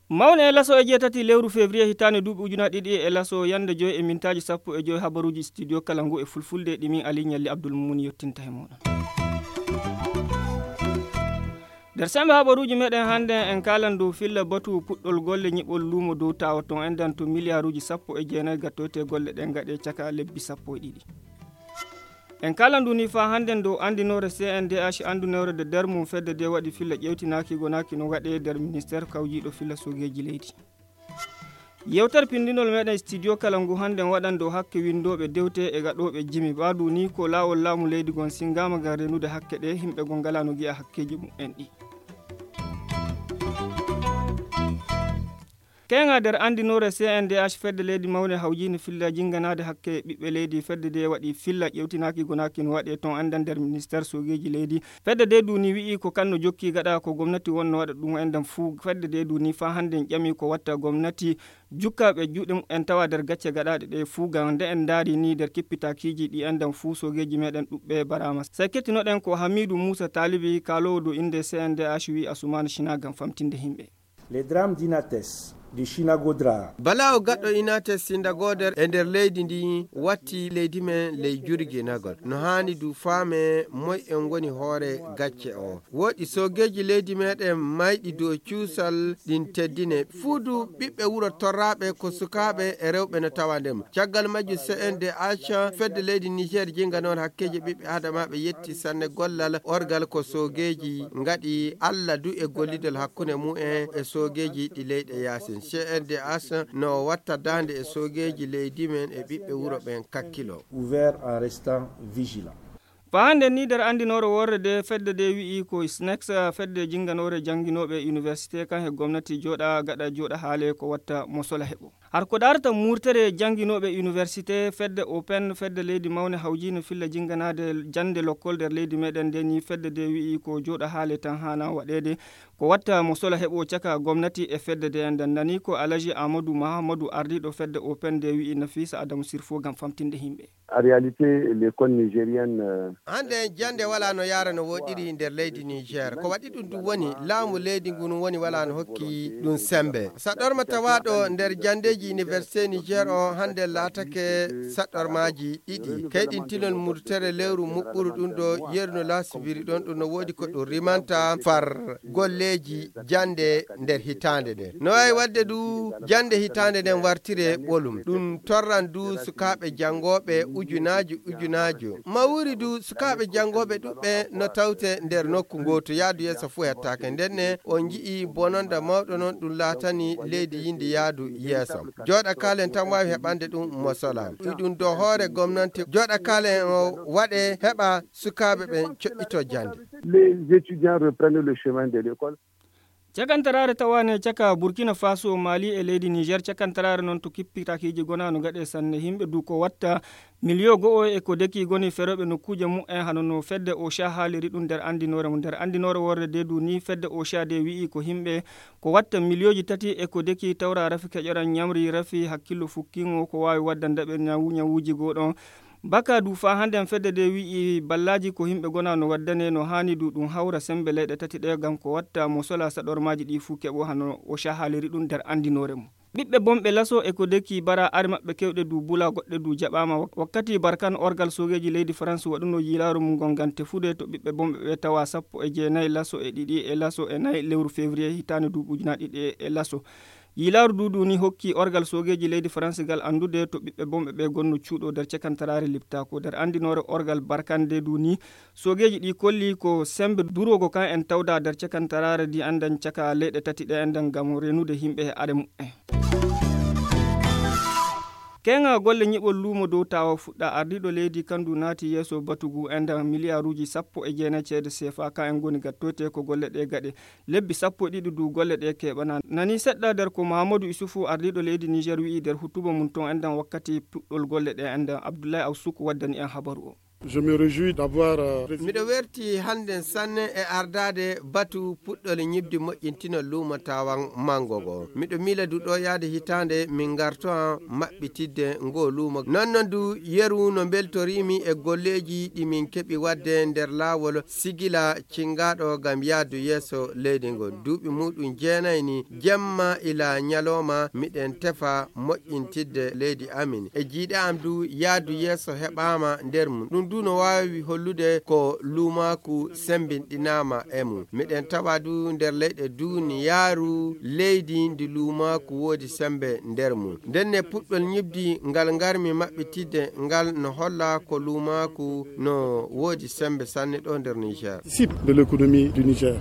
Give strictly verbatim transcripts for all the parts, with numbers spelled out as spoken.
Mawne e laso e jeetati lewru février hitaande duuɓi ujunaaji ɗiɗi e laso, yannde joy e mintaaji sappo e joy, habaruuji studio kala ngu e fulfulde, ɗi min Ali Ñalli Abdul Mumun yottinta he mooɗon. Nder semmbe habaruuji meɗen hannde, en kaalan dow filla batu puɗɗol golle nyiɓol luumo dow tawa ton, enɗan to miliyaaruuji sappo e jeenayi gattoyte golle ɗen gaɗe caka lebbi sappo e ɗiɗi. En kaalan ɗum ni faa hannden dow anndinoore C N D H, anndinoore de nder mum fedde de waɗi filla ƴeewtinaaki gonaaki no waɗee nder ministeer kawjiiɗo filla sogeeji leydi. Yewtere pinndinol meɗen studio kala ngu hannden waɗan dow hakke winndooɓe dewte e gaɗooɓe jimi. Ɓaadu ni ko laawol laamu leydi ngon sinngaama ngam renude hakke ɗe, yimɓe ngon ngalaa no ngi'a hakkeeji mum en ɗi. Keŋa nder anndinoore C N D H, fedde leydi mawnde hawjiinde filla jinnganaade hakke ɓiɓɓe leydi. Fedde de waɗi filla ƴeewtinaaki gonaaki no waɗee ton, enɗan nder ministeer sogeeji leydi. Fedde de duni wi'i ko kan no jokki gaɗa ko gomnati wonno waɗa ɗum, enɗan fuu. Fedde de duni faa hannden ƴami ko watta gomnati jukka ɓe juuɗe mumen tawa nder gacce gaɗaaɗe ɗe fuu. Ngam nde en ndaari ni nder kippitakiiji ɗi, enɗan fuu sogeeji meɗen ɗuɓɓe baraama. Sey kettinoɗen ko Hamiidu Muusa Taalibi, kaaloowo dow innde C N D H, wi'i Asumaana Sina ngam famtinde yimɓe. Les drames d'Inates, du Chinagodra. Balaawo gaɗɗo Inates Sindagoder e nder leydi ndi watti leydi men ley jurginagol. No haani du faame moy en ngoni hoore gacce o. Woɗi sogeeji leydi meɗen mayɗi dow cuusal ɗin teddine. Fuu du ɓiɓɓe wuro torraaɓe ko sukaaɓe e rewɓe no tawa nder mum. Caggal majjum C N D H, fedde leydi Niger jinnganoore hakkeeji ɓiɓɓe Aadamaaɓe yetti sanne gollal orgal ko sogeeji ngaɗi Alla du e gollidal hakkunde mumen e sogeeji ɗi leyɗe yaasin. C N D H no watta daande e sogeeji leydi men e ɓiɓɓe wuro ɓen kakkilo. Ouvert en restant vigilant. Faa hannde ni nder anndinoore worre de fedde de wi'i ko SNEX, fedde jinnganoore jannginooɓe université kan he gomnati jooɗa gaɗa jooɗa haale ko watta mo sola heɓo. Har ko daarata murtere jannginooɓe université, fedde open, fedde leydi mawnde hawjiinde filla jinnganaade jannde lokkol nder leydi meɗen nde ni fedde de wi'i ko jooɗa haale tan haana waɗeede, ko watta mo sola heɓo caka gomnati e fedde de. Nden nani ko Alaji Amadou Mahamadou ardiiɗo fedde open de wi'i Nafisa Adamu Sirfo ngam famtinde yimɓe. En réalité, l'école nigérienne, euh, Hannde jannde walaa no yaara no woɗɗiri nder leydi Niger. Ko waɗi ɗum ɗum woni laamu leydi ngun woni walaa no hokki ɗum sembe. Saɗorma tawaaɗo nder janndeeji université Niger o hannde laatake saɗormaaji ɗiɗi. Kayɗintinol murtere lewru muɓɓuru ɗum ɗo yeru no laasibiri ɗon ɗum no woodi ko ɗum rimanta far golleeji jannde nder hitaande nden. No waawi waɗde du jannde hitaande nden wartire ɓolum. Ɗum torran du sukaaɓe janngooɓe ujunaaji ujunaaji. Mawri du sukaaɓe janngooɓe ɗuɓɓe no tawte nder nokku ngootu. Yaadu yeeso fuu hettaake. Nden ne on nji'i bononda mawɗo non ɗum laatani leydi yindi yaadu yeeso. Jooɗa kaalen tan waawi heɓande ɗum mo sola. Iɗum do hoore gomnanti. Jooɗa kaalen o waɗe heɓa sukaaɓe ɓen coɓɓito jannde. Les étudiants reprennent le chemin de l'école. Cakantaraare tawaane caka Burkina Faso, Mali e leydi Niger. Cakantaraare noon to kippitakiiji gona no gaɗe sanne. Yimɓe du ko watta miliyo go'o e ko deki goni ferooɓe nokkuuje mumen, hano no fedde OCHA haaliri ɗum nder anndinoore mum. Nder anndinoore worre de du ni fedde OCHA de wi'i ko yimɓe ko watta miliyooji tati e ko deki tawra rafi keƴoran ñamri rafi hakkillo fukkingo ko waawi wadda ndaɓe ñawu-, ñawuuji goo ɗon. Baka du faa hannden fedde de wi'i ballaaji ko yimɓe gona no waddane no haani du ɗum hawra sembe leyɗe tati ɗe ngam ko watta mo sola saɗormaaji ɗi fuu keɓo hano OCHA haaliri ɗum nder anndinoore mum. Ɓiɓɓe bonɓe laso e ko deki bara ari maɓɓe kewɗe du bula goɗɗe du jaɓaama. Wak-, wakkati Barkan orgal sogeeji leydi France waɗuno yiilaaru mum ngol ngam tefude to ɓiɓɓe bonɓe ɓe tawa sappo e jeenayi laso e ɗiɗi e laso e nayi lewru février hitaande duuɓi ujunaaji ɗiɗi e laso. Yiilaaru du du ni hokki orgal sogeeji leydi France ngal anndude to ɓiɓɓe bonɓe ɓe gonno cuuɗo nder cakantaraare liptaako. Nder anndinoore orgal Barkan de du ni sogeeji ɗi kolli ko sembe duroogo kan en tawda nder cakantaraare ndi anndan caka leyɗe tati ɗe anndan ngam renude yimɓe e are mumen. Keŋa golle nyiɓol luumo dow tawa fuɗɗa. Ardiiɗo leydi kandu naati yeeso batugu enda miliyaaruuji sappo e jeenayi ceede seefa kan en ngoni gattoyte ko golle ɗe gaɗe. Lebbi sappo e ɗiɗi du golle ɗe keɓana. Nani seɗɗa nder ko Mahamadou Issoufou, ardiiɗo leydi Niger, wi'i nder hutuba mum ton enɗan wakkati puɗɗol golle ɗe enɗan. Abdoulaye Awsouk waddani en habaru o. Je me réjouis d'avoir, euh, miɗo werti hannden sanne e ardaade batu puɗɗol ñibdi moƴƴintinol luumo tawan manngo ngo. Miɗo miila du ɗo yahde hitaande min ngarto an maɓɓitidde ngo luumo. Non non du yeru no mbeltoriimi e golleeji ɗi min keɓi waɗde nder laawol sigila cingaaɗo ngam yahdu yeeso leydi ngo. Duuɓi muɗum jeenayi ni, jemma ila ñalooma miɗen tefa moƴƴintidde leydi amin. E jiiɗe am du yahdu yeeso heɓaama nder mum. Ɗum du no waawi hollude ko luumaaku sembinɗinaama e mum. Miɗen tawa du nder leyɗe duniyaaru leydi ndi luumaaku woodi sembe nder mum. Ndenne puɗɗol ñibdi ngal ngarmi maɓɓitidde ngal no holla ko luumaaku no woodi sembe sanne ɗo nder Niger. Cible de l'économie du Niger.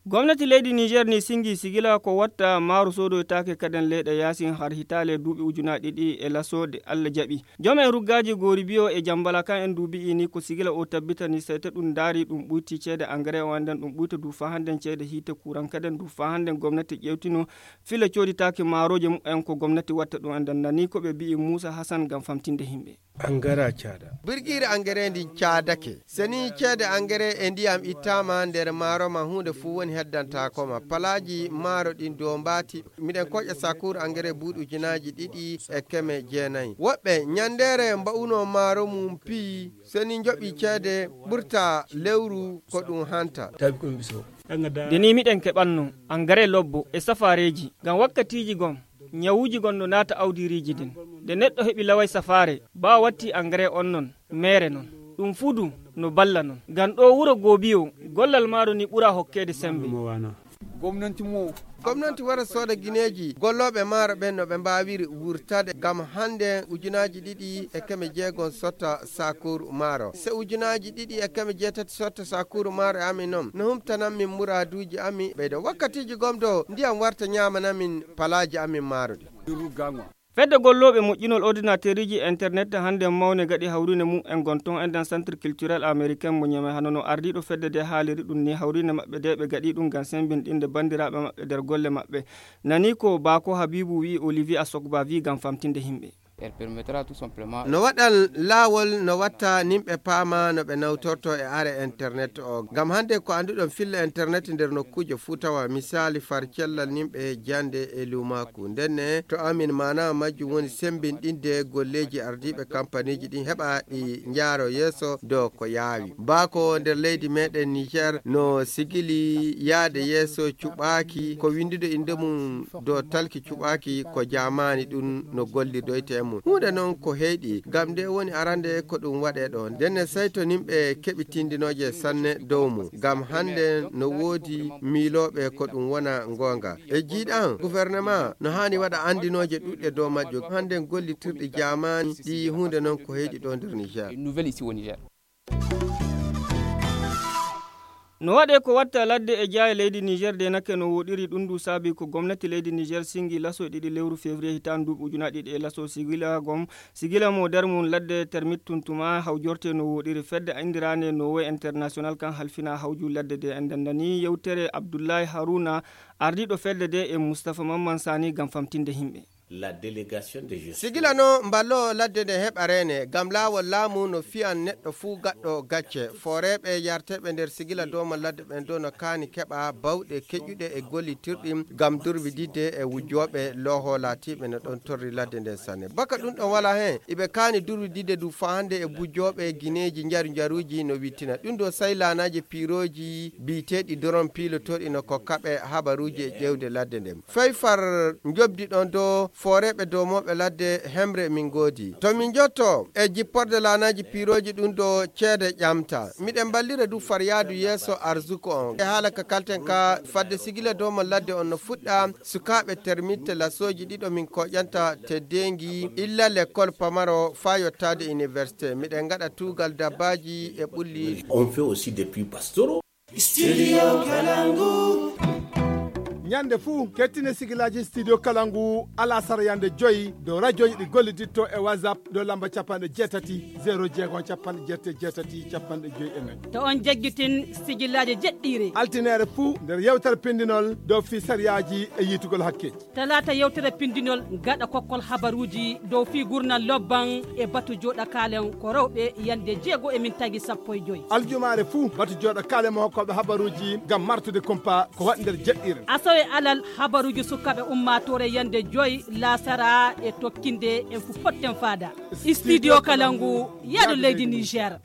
Gomnati leydi Niger ni singi sigila ko watta maaro soodoytaake kaden leyɗe yaasin har hitaale duuɓi ujunaaji ɗiɗi e laso ɗe Allah jaɓi. Joom en ruggaaji Goori Biyo e Jambala kan en du bi'i ni ko sigila o tabbitani sey to ɗum ndaari ɗum ɓuyti ceede engrais o annden ɗum ɓuyta du faa hannden ceede hiite kuran kaden du faa hannden gomnati ƴeewtino filla cooditaake maarooje mumen ko gomnati watta ɗum annden nani ko ɓe bi'i Muusa Hasan ngam famtinde himɓe. Angara caada. Birgiire angere ndin caadake. Seni ceede angere e ndiyam ittaama nder maaro ma huunde fuu woni heddantaako ma. Palaaji maaro ɗin dow mbaati. Miɗen koƴa sakuur angere buuɗi ujunaaji ɗiɗi e keme jeenayi. Woɓɓe ñanndeere mba'uno maaro mum piyi. Seni njoɓi ceede ɓurta lewru ko ɗum hanta. Tawi ko ɗum biso. Nde ni miɗen keɓanno angare lobbo e safaareeji ngam wakkatiiji gom ñawuuji gon no naata awdiiriiji din. Nde neɗɗo heɓi laway safaare baa watti angare on non meere non. Ɗum fuu du no balla non. Ngam ɗo wuro Goobiyo gollal maaro ni ɓura hokkeede sembe. Gomnanti mo. Gomnanti wara sooda gineeji gollooɓe maaro ɓen no ɓe mbaawiri wurtade ngam hannde ujunaaji ɗiɗi e keme jeegom sotta sakuuru maaro. Se ujunaaji ɗiɗi e keme jeetati sotta sakuuru maaro e amin non no humtanan min muraaduuji amin ɓeydo wakkatiiji gomdo ndiyam warta ñaamanan min palaaji amin maaro ɗi. Fedde gollooɓe moƴƴinol ordinateeriji internet hannde mawne gaɗi hawriinde mum en gon toon e nder centre culturel américain mo Niamey hano no ardiiɗo fedde de haaliri ɗum ni hawriinde maɓɓe de ɓe gaɗi ɗum ngam sembinɗinde banndiraaɓe maɓɓe nder golle maɓɓe. Nani ko Bako Habibu wi'i Olivier Asokba wi'i ngam famtinde himɓe. No waɗan laawol no watta nimɓe paama no ɓe nawtorto e are internet o ngam hannde ko annduɗon filla internet nder nokkuuje fuu tawa misaali far cellal nimɓe jannde e luumaaku ndenne to amin maana majjum woni sembinɗinde golleeji ardiiɓe kampaniiji ɗin heɓa ɗi njaaro yeeso dow ko yaawi baako nder leydi meɗen Niger no sigili yaade yeeso cuɓaaki ko winndude innde mum dow talki cuɓaaki ko jaamaani ɗum no gollidoyte e mum huunde noon ko heyɗi ngam nde woni arande ko ɗum waɗe ɗo ndenne sayto nimɓe keɓi tindinooje sanne dow mum ngam hannde no woodi miilooɓe ko ɗum wona ngoonga e jiiɗan gouvernement no haani waɗa anndinooje ɗuɗɗe dow majjum hannde gollitirɗi jaamaani ɗi huunde noon ko heyɗi ɗo nder Niger. No waɗee ko watta ladde e jaaye leydi Niger de nake no woɗiri ɗum du saabi ko gomnati leydi Niger singi laso ɗiɗi lewru février hitaan duuɓi ujunaaji ɗiɗi e laso sigila gom sigila mo nder mum ladde termit tuntuma hawjorte no woɗiri fedde indirande no woy international kan halfina hawju ladde de en dandani yewtere Abdullahi Haruna ardiiɗo fedde de e Moustapha Mamman Sani ngam famtinde himɓe. La délégation de gestion. Sigila no mballo ladde nde heɓa reene ngam laawol laamu no fiyan neɗɗo fuu gaɗɗo gacce fooreeɓe yarteeɓe nder sigila dooma ladde ɓen do no kaani keɓa bawɗe keƴuɗe e gollitirɗi ngam durwididde e wujjooɓe looho laatiiɓe no ɗon torri ladde nden sanne baka ɗum ɗon wala heen iɓe kaani durwididde du faa hannde e bujjooɓe gineeji njaru njaruuji no wittina ɗum do say laanaaji piirooji biiteeɗi doron piilotooɗi no kokkaɓe habaruuji e ƴeewde ladde nden fay far njobdi ɗon do fooreeɓe doomooɓe ladde hemre min ngoodi to min njotto e jipporde laanaaji piirooji ɗum do ceede ƴamta miɗen mballira du far yaadu yeeso arzuko on e haala ka kalten ka fadde sigila dooma ladde on no fuɗɗa sukaaɓe termitte lasooji ɗiɗo min koƴanta teddeengi illa lekkol pamaro faa yottaade université miɗen ngaɗa tuugal dabbaaji e ɓulli. On fait aussi des puits pastoraux. Studio Kalangu. Ñande fuu, kettine sigilaaji Studio Kalangu, alasara yande joyi, dow rajooji ɗi golliditto e WhatsApp, dow lamba capanɗe jeetati, zero jeego, capanɗe jeetati, jeetati, capanɗe joyi e nayi. To on jaggitin sigilaaji jeɗɗiire. Altineere fuu, nder yewtere pindinol dow fii sariyaaji e yiitugol hakkeeji. Talaata yewtere pindinol gaɗa kokkol habaruuji dow fii gurnal lobban e batu jooɗa kaalen ko rewɓe yande jeego e min tagi sappo e joyi. Aljumaare fuu, batu jooɗa kaalen mo hokkooɓe habaruuji ngam martude kumpa ko waɗi nder jeɗɗiire. Asawe alal habaruuji sukaaɓe ummaatoore yande joyi laasara e tokkinde en fu potten faada. Studio Kalangu, yaadu leydi Niger.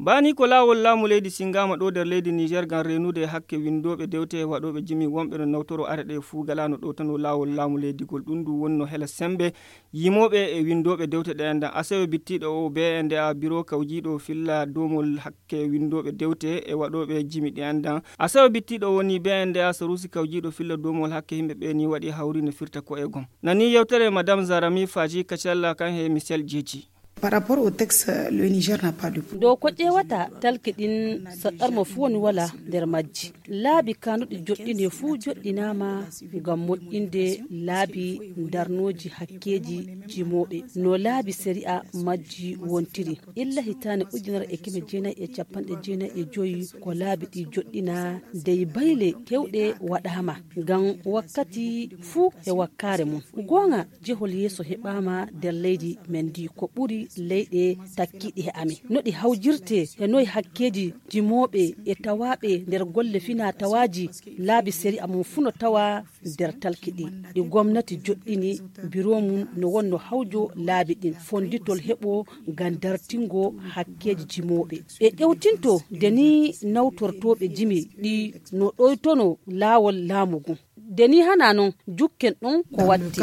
Bani ko laawol laamu leydi singaama ɗo nder leydi Niger ngam reenude hakke winndooɓe dewte e waɗooɓe jimi wonɓe no nawtoro are ɗe fuu galaano ɗo tan o laawol laamu leydigol. Ɗum ndu wonno hela sembe yimooɓe e winndooɓe dewte ɗe anndan. Asewe bittiiɗo o B N D A biro kawjiiɗo filla doomol hakke winndooɓe dewte e waɗooɓe jimi ɗe anndan. Asewe bittiiɗo woni B N D A sarusi kawjiiɗo filla doomol hakke yimɓe ɓe ni waɗi hawri no firta ko e gom. Nani yewtere Madame Zarami Faji Kacalla kan he Michel Jeji. Par rapport au texte, le Niger n'a pas de... Dow ko ƴeewata talki ɗin, saɗɗarmo fuu woni wala nder majji. Laabi kanuɗi joɗɗine fuu joɗɗinaama ngam moƴƴinde laabi darnooji hakkeeji jimooɓe. No laabi sariya majji wontiri. Illa hitaande ujunere e keme jeenayi e capanɗe jeenayi e joyi ko laabi ɗi joɗɗinaa dey bayle kewɗe waɗaama. Ngam wakkati fuu e wakkaare mum. Goonga, jehol yeeso heɓaama nder leydi men ndi ko ɓuri leyɗe takkiiɗe e amen. No ɗi hawjirtee e noy hakkeeji jimooɓe e tawaaɓe nder golle finaa tawaaji laabi sariya mum fuu no tawaa nder talki ɗi. Ɗi gomnati joɗɗini biro mum no wonno hawjo laabi ɗin fonnditol heɓo ngam dartingo hakkeeji jimooɓe. Ɓe ƴewtinto de ni nawtortooɓe jimi ɗi no ɗoytono laawol laamu ngun. De ni hana non jukken ɗon ko watti.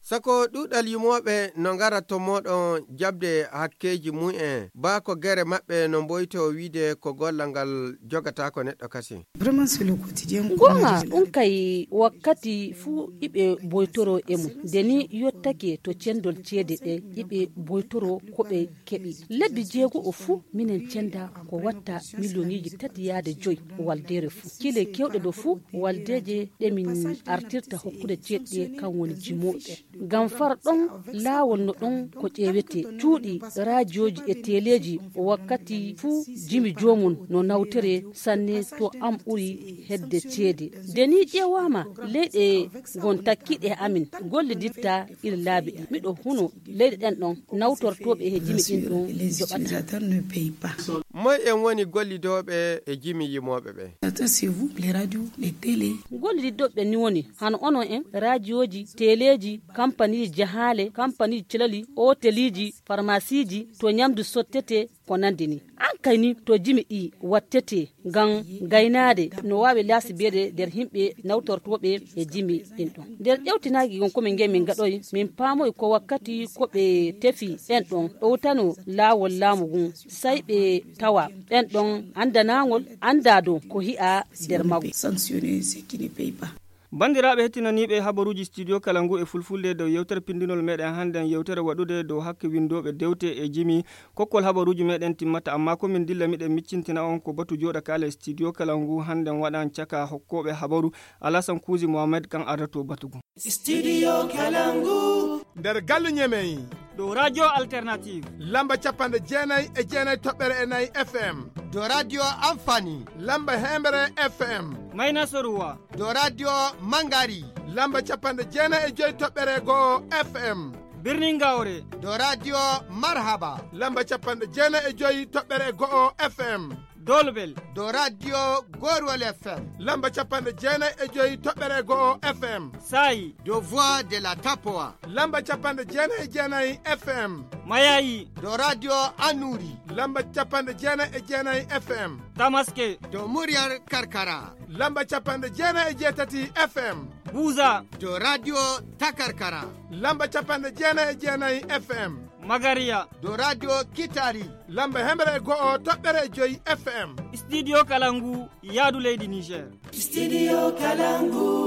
Sako ɗuuɗal yimooɓe no ngara to mooɗon jaɓde hakkeeji mum en, baa ko gere maɓɓe no mboyto wiide ko gollal ngal jogataako neɗɗo kasin. Vraiment, c'est le quotidien. Goonga, ɗum kay wakkati fuu iɓe boytoro e mum. De ni yottake to cendol ceede ɗe iɓe boytoro ko ɓe keɓi. Lebbi jeego o fuu minen cenda ko watta miliyoŋiiji tati yaade joyi waldeere fuu. Kile kewɗe ɗo fuu waldeeje ɗe min artirta hokkude ceeɗe kan woni jimooɓe. Ngam far ɗon laawol no ɗon ko ƴeewete cuuɗi, raajiyooji e teleeji wakkati fuu jimi joomum no nawtere sanne to am ɓuri hedde ceede. De ni ƴeewaama leyɗe ngon takkiiɗe e amin golliditta iri laabi ɗin. Miɗo huno leyɗe ɗen ɗon nawtortooɓe e jimi ɗin ɗon joɓata. Moy en woni gollidooɓe e jimi yimooɓe ɓe? Attends, c'est vous, les radios, les télé. Gollididooɓe ni woni hano onon en, raajiyooji, teleeji, kampaniiji jahaale, kampaniiji celali, ooteliiji, farmasiiji, to ñamdu sottete, ko nandi ni. An kay ni to jimi ɗi wattete ngam gaynaade no waawi laasibeede nder yimɓe nawtortooɓe e jimi ɗin ɗon. Nder ƴewtinaaki ngon ko min nge min gaɗoy, min paamoy ko wakkati ko ɓe tefi ɓen ɗon ɗowtano laawol laamu ngun, say ɓe tawa ɓen ɗon anndanaangol anndaa dow ko hi'a nder maggo. Sanctionner ceux qui ne payent pas. Banndiraaɓe hettinaniiɓe habaruuji Studio Kalangu e Fulfulde dow yewtere pindinol meɗen hannden, yewtere waɗude dow hakke winndooɓe dewte e jimi. Kokkol habaruuji meɗen timmata, amma ko min dilla miɗen miccintina on ko batu jooɗa kaale Studio Kalangu hannden waɗan caka hokkooɓe habaru Alasan Kuuzi Mohamed kan ardato batu ngun. Studio Kalangu. Nder gallu Ñemey. Dow Radio Alternative. Lamba capanɗe jeenayi e jeenayi toɓɓere e nayi F M. Dow Radio Amfani. Lamba heembere F M. Mayna Soruwa. Dow Radio Mangari. Lamba capanɗe jeenayi e joyi toɓɓere go'o F M. Birnin Gawre. Dow Radio Marhaba. Lamba capanɗe jeenayi e joyi toɓɓere go'o F M. Dolbel. Dow Radio Gorwol F M. Lamba capanɗe jeenayi e joyi toɓɓere go'o F M. Saayi. Dow Voix de la Tapoa. Lamba capanɗe jeenayi e jeenayi F M. Mayayi. Dow Radio Anuri. Lamba capanɗe jeenayi e jeenayi F M. Tamaske. Dow Muryar Karkara. Lamba capanɗe jeenayi e jeetati F M. Buza. Dow Radio Takarkara. Lamba capanɗe jeenayi e jeenayi F M. Magariya. Dow Radio Kitari. Lamba heembere e go'o toɓɓere e joyi F M. Studio Kalangu, yaadu leydi Niger. Studio Kalangu.